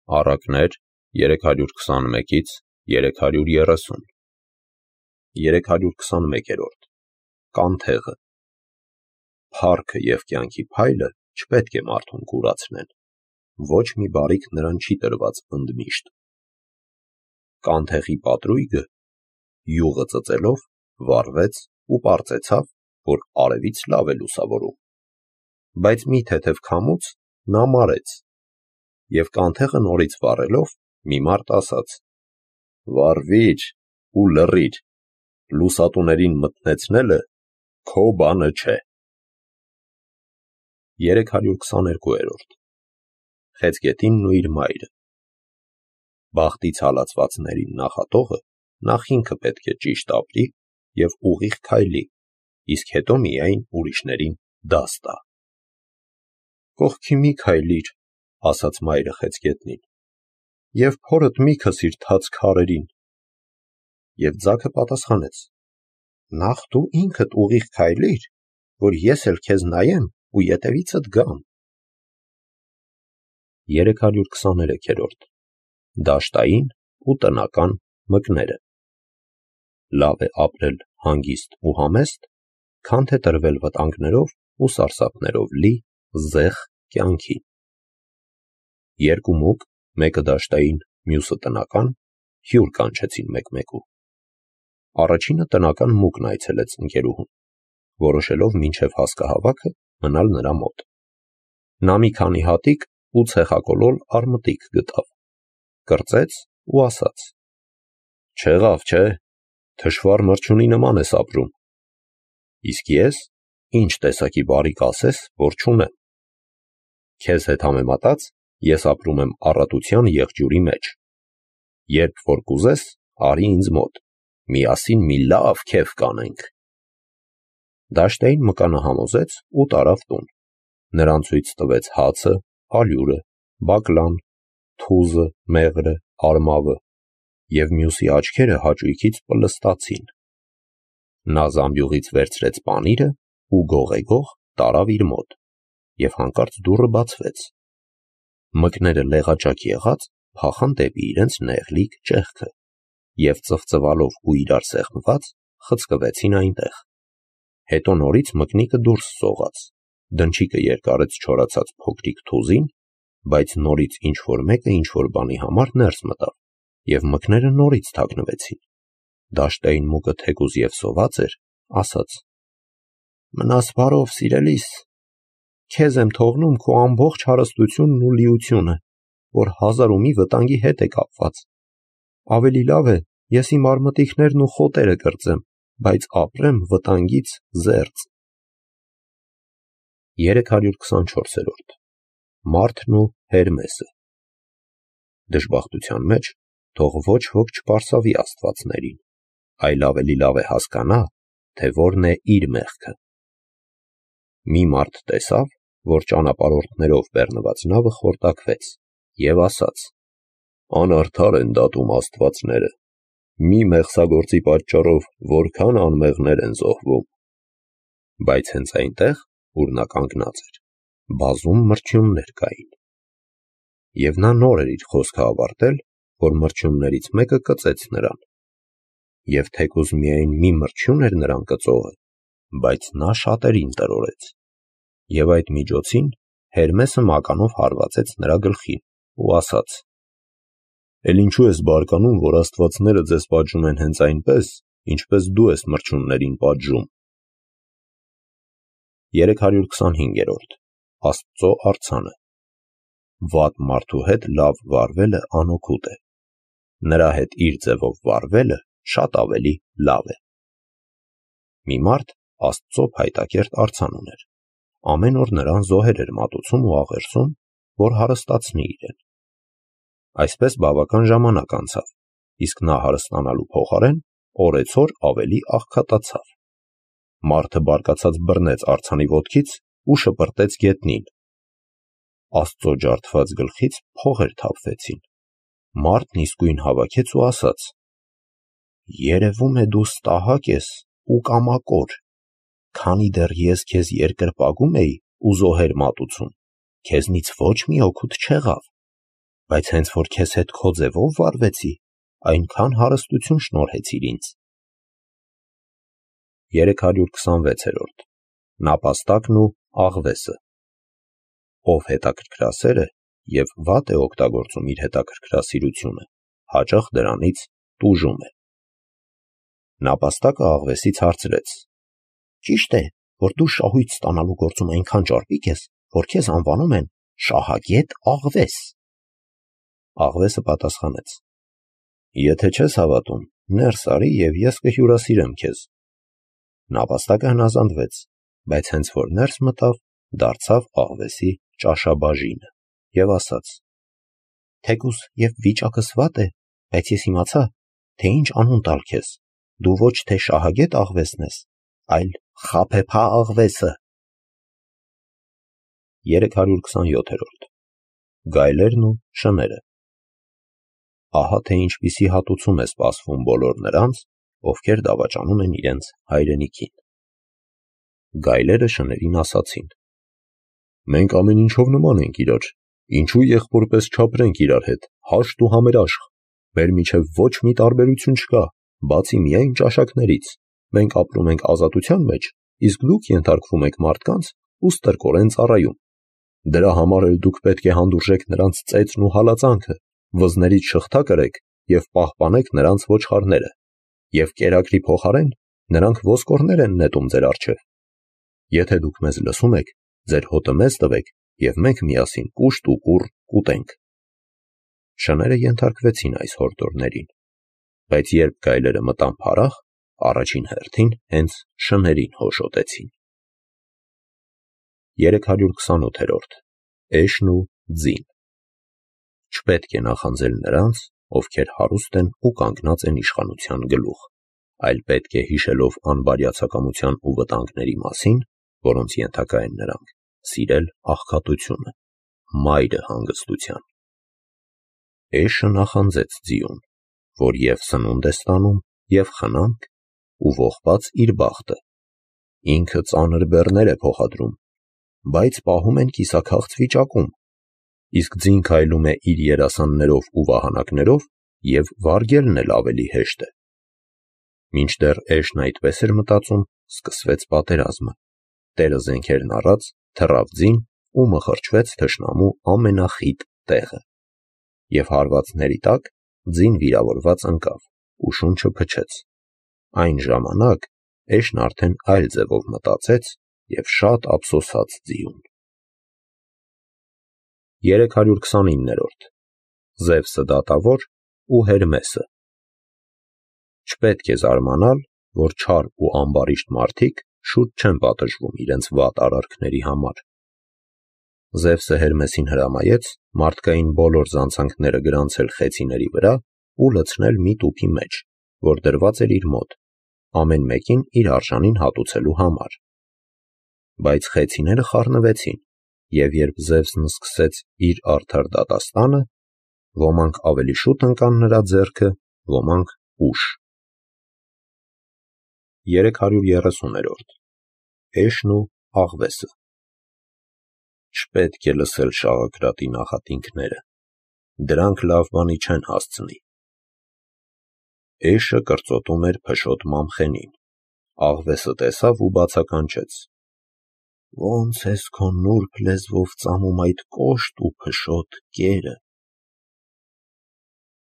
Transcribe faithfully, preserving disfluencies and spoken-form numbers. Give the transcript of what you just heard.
Առակներ երեք հարյուր քսանմեկից երեք հարյուր երեսուն երեք հարյուր քսանմեկերորդ Կանթեղը Փառքը և կյանքի փայլը չպետք է մարդուն կուրացնեն, ոչ մի բարիք նրան չի տրված ընդմիշտ։ Կանթեղի պատրույգը յուղը ծծելով վառվեց ու պարծեցավ, որ արևից լավ է լուսավորում, բայց մի թեթև քամուց նա մարեց, և կանթեղը նորից վառելով մի մարդ ասաց. «Վառվի՛ր ու լռի՛ր, լուսատուներին մթնեցնելը քո բանը չէ»։ երեք հարյուր քսաներկուերորդ Խեցգետինն ու իր մայրը Բախտից հալածվածներին նախատողը նախ ինքը պետք է ճիշտ ապրի և ուղիղ քայլի, իսկ հետո միայն ուրիշներին դաս տա։ «Կողքի մի քայլիր», ասաց մայրը խեցգետնին, «և փորդ մի քսիր թաց քարերին»։ Եվ ձագը պատասխանեց. «Նախ դու ինքդ ուղիղ քայլիր, որ ես էլ քեզ նայեմ ու ետևիցդ գամ»։ երեք հարյուր քսաներեքերորդ Դաշտային ու տնական մկները Լավ է ապրել հանգիստ ու համեստ, քան թե տրվել վտանգներով ու սարսափներով լի զեղ կյանքի։ Երկու մուկ, մեկը դաշտային, մյուսը տնական, հյուր կանչեցին մեկ-մեկու։ Առաջինը տնական մուկն այցելեց ընկերուհուն, որոշելով մինչև հասկահավաքը մնալ նրա մոտ։ Նա մի քանի հատիկ ու ցեխակոլոր արմտիկ գտավ, կրծեց ու ասաց. «Չեղավ, չէ, թշվառ մրջյունի նման ես ապրում։ Իսկ ես ինչ տեսակի բարիք ասես, որ չունեմ։ Քեզ հետ համեմատած ես ապրում եմ առատության եղջյուրի մեջ։ Երբ որ կուզես, արի ինձ մոտ, միասին մի լավ քեֆ կանենք»։ Դաշտային մկանը համոզեց ու տարավ տուն, նրան ցույց տվեց հացը, ալյուրը, բակլան, թուզը, մեղրը, արմավը, և մյուսի աչքերը հաճույքից պլստացին։ Նա զամբյուղից վերցրեց պանիրը ու գողեգող տարավ իր մոտ, և հանկարծ դուռը բացվեց։ Մկները լեղաճակ եղած փախան դեպի իրենց նեղլիկ ճեղքը և ծվծվալով ու իրար սեղմված խցկվեցին այնտեղ։ Հետո նորից մկնիկը դուրս սողաց, դնչիկը երկարեց չորացած փոքրիկ թուզին, բայց նորից ինչ-որ մեկը ինչ-որ բանի համար ներս մտավ, և մկները նորից թաքնվեցին։ Դաշտային մուկը թեկուզ և սոված էր, ասաց. «Մնաս բարով, սիրելիս, քեզ եմ թողնում քո ամբողջ հարստությունն ու լիությունը, որ հազար ու մի վտանգի հետ է կապված։ Ավելի լավ է ես իմ արմատիկներն ու խոտերը կրծեմ, բայց ապրեմ վտանգից զերծ»։ երեք հարյուր քսանչորսերորդ Մարդն ու Հերմեսը Դժբախտության մեջ թող ոչ ոք չպարսավի աստվածներին, այլ ավելի լավ է հասկանա, թե որն է իր մեղքը։ Մի մարդ տեսավ, որ ճանապարհորդներով բեռնված նավը խորտակվեց, և ասաց. «Անարդար են դատում աստվածները, մի մեղսագործի պատճառով որքան անմեղներ են զոհվում»։ Բայց հենց այնտեղ, ուր նա կանգնած էր, բազում մրջյուններ կային։ Եվ նա նոր էր իր խոսքը ավարտել, որ մրջյուններից մեկը կծեց նրան։ Եվ թեկուզ միայն մի մրջյուն էր նրան կծողը, բայց նա շատերին տրորեց։ Եվ այդ միջոցին Հերմեսը մականով հարվածեց նրա գլխին ու ասաց. «Էլ ինչու ես բարկանում, որ աստվածները ձեզ պատժում են հենց այնպես, ինչպես դու ես մրջյուններին պատժում»։ երեք հարյուր քսանհինգերորդ Աստծո արձանը Վատ մարդու հետ լավ վարվելը անօգուտ է, նրա հետ իր ձևով վարվելը շատ ավելի լավ է։ Մի մարդ Աստծո փայտակերտ արձան ուներ, ամեն օր նրան զոհեր էր մատուցում ու աղերսում, որ հարստացնի իրեն։ Այսպես բավական ժամանակ անցավ, իսկ նա հարստանալու փոխարեն օրեցօր ավելի աղքատացավ։ Մարդը բարկացած բռնեց արձանի ոտքից ու շպրտեց գետնին։ Աստծո ջարդված գլխից փողեր թափվեցին։ Մարդն իսկույն հավաքեց ու ասաց. «Երևում է դու ստահակ ես ու կամակոր, քանի դեռ ես քեզ երկրպագում էի ու զոհեր մատուցում, քեզնից ոչ մի օգուտ չեղավ։ Բայց հենց որ քեզ հետ քո ձևով վարվեցի, այնքան հարստություն շնորհեցիր ինձ։ երեք հարյուր քսանվեցերորդ Նապաստակն ու աղվեսը։ Ով հետաքրքրասեր է և վատ է օգտագործում իր հետաքրքրասիրությունը, հաճախ դրանից տուժում է։ Նապաստակը աղվեսից հարցրեց. ճիշտ է, որ դու շահույթ ստանալու գործում այնքան ճարպիկ ես, որ քեզ անվանում են շահագետ աղվես։ Աղվեսը պատասխանեց. եթե չես հավատում, ներս արի և ես կհյուրասիրեմ քեզ։ Նապաստակը հնազանդվեց, բայց հենց որ ներս մտավ, դարձավ աղվեսի ճաշաբաժինը և ասաց. թեկուզ և վիճակս վատ է, բայց ես իմացա, թե ինչ անուն տալ քեզ, դու ոչ թե շահագետ աղվեսն ես, այլ խաբեբա աղվեսը։ երեք հարյուր քսանյոթերորդ Գայլերն ու շները։ Ահա թե ինչպիսի հատուցում է սպասվում բոլոր նրանց, ովքեր դավաճանում են իրենց հայրենիքին։ Գայլերը շներին ասացին. մենք ամեն ինչով նման ենք իրար, ինչու եղբորպես չապրենք իրար հետ, հաշտ ու համերաշխ, մեր միջև ոչ մի տարբերություն չկա, բացի միայն ճաշակներից, մենք ապրում ենք ազատության մեջ, իսկ դուք ենթարկվում եք մարդկանց ու ստրկորեն ծառայում։ Դրա համար էլ դուք պետք է հանդուրժեք նրանց ծեծն ու հալածանքը, վզներից շղթա կրեք և պահպանեք նրանց ոչխարները, և կերակրի փոխարեն նրանք ոսկորներ են նետում ձեր առջև։ Եթե դուք մեզ լսում եք, ձեր հոտը մեզ տվեք, և մենք միասին կուշտ ու կուռ կուտենք։ Շները ենթարկվեցին այս հորդորներին, բայց երբ գայլերը մտան փարախ, առաջին հերթին հենց շներին հոշոտեցին։ երեք հարյուր քսանութերորդ Էշն ու ձին։ Չպետք է նախանձել նրանց, ովքեր հարուստ են ու կանգնած են իշխանության գլուխ, այլ պետք է հիշելով անբարյացակամության ու վտանգների մասին, որոնց ենթակա են նրանք, սիրել աղքատությունը, մայրը հանգստության։ Էշը նախանձեց ձիուն, որ և սնունդ է ստանում, և խնամք, ու ողբած իր բախտը, ինքը ծանր բեռներ է փոխադրում, բայց պահում են կիսաքաղց վիճակում, իսկ ձին քայլում է իր երասաններով ու վահանակներով, և վարգելն էլ ավելի հեշտ է։ Մինչդեռ Էշն այդպես էր մտածում, սկսվեց պատերազմը, տերը զենքերն առած թռավ ձին ու մխրճվեց թշնամու ամենախիտ տեղը, և հարվածների տակ ձին վիրավորված ընկավ ու շունչը փչեց։ Այն ժամանակ Էշն արդեն այլ ձևով մտածեց և շատ ափսոսաց ձիուն։ երեք հարյուր քսանիններորդ Զևսը դատավոր ու Հերմեսը։ Չպետք է զարմանալ, որ չար ու ամբարիշտ մարդիկ շուտ չեն պատժվում իրենց վատ արարքների համար։ Զևսը Հերմեսին հրամայեց մարդկային բոլոր զանցանքները գրանցել խեցիների վրա ու լցնել մի տուփի մեջ, որ դրված էր իր մոտ, ամեն մեկին իր արժանին հատուցելու համար։ Բայց խեցիները խառնվեցին, և երբ Զևսն սկսեց իր արդար դատաստանը, ոմանք ավելի շուտ ընկան նրա ձեռքը, ոմանք ուշ։ երեք հարյուր երեսուներորդ Էշն ու աղվեսը։ Չպետք է լսել շաղակրատի նախատինքները, դրանք լավ բանի չեն հասցնի։ Էշը կրծոտում էր փշոտ մամխենին, աղվեսը տեսավ ու բացականչեց. ո՞նց ես քո նուրբ լեզվով ծամում այդ կոշտ ու փշոտ կերը։